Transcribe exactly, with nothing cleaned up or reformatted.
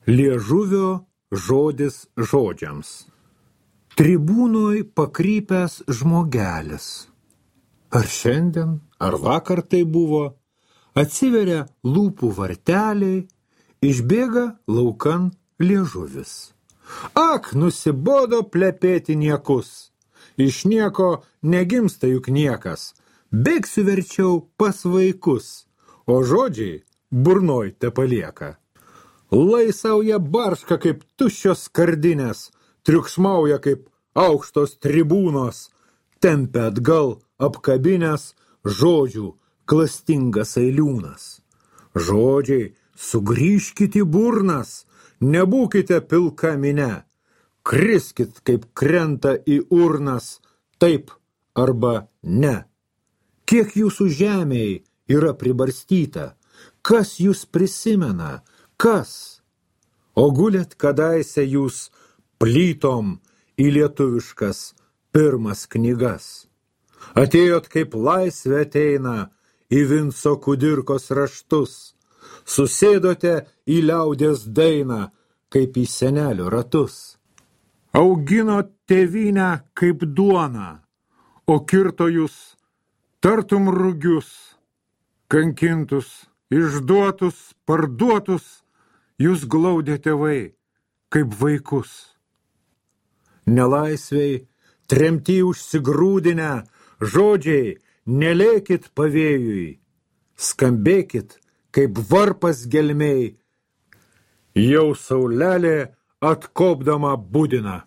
Liežuvio žodis žodžiams. Tribūnoj pakrypęs žmogelis. Ar šiandien, ar vakar tai buvo, atsiveria lūpų varteliai, išbėga laukan liežuvis. Ak, nusibodo plepėti niekus. Iš nieko negimsta juk niekas. Bėgsiu verčiau pas vaikus, o žodžiai burnoj tepalieka. Laisauja barška kaip tuščios skardinės, triukšmauja kaip aukštos tribūnos, tempia atgal apkabinės žodžių klastingas eiliūnas. Žodžiai, sugrįžkit į burnas, nebūkite pilka mine, kriskit kaip krenta į urnas, taip arba ne. Kiek jūsų žemėje yra pribarstyta, kas jūs prisimena, kas? O gulėt kadaise jūs plytom į lietuviškas pirmas knygas. Atėjot kaip laisvė ateina į Vinco Kudirkos raštus, susėdote į liaudės dainą kaip į senelio ratus. Auginot tėvynę kaip duoną, o kirto jūs tartum rugius, kankintus, išduotus, parduotus, jūs glaudė tėvai kaip vaikus. Nelaisviai, tremty užsigrūdinę, žodžiai, nelėkit pavėjui, skambėkit kaip varpas gelmei, jau saulelė atkopdama budina.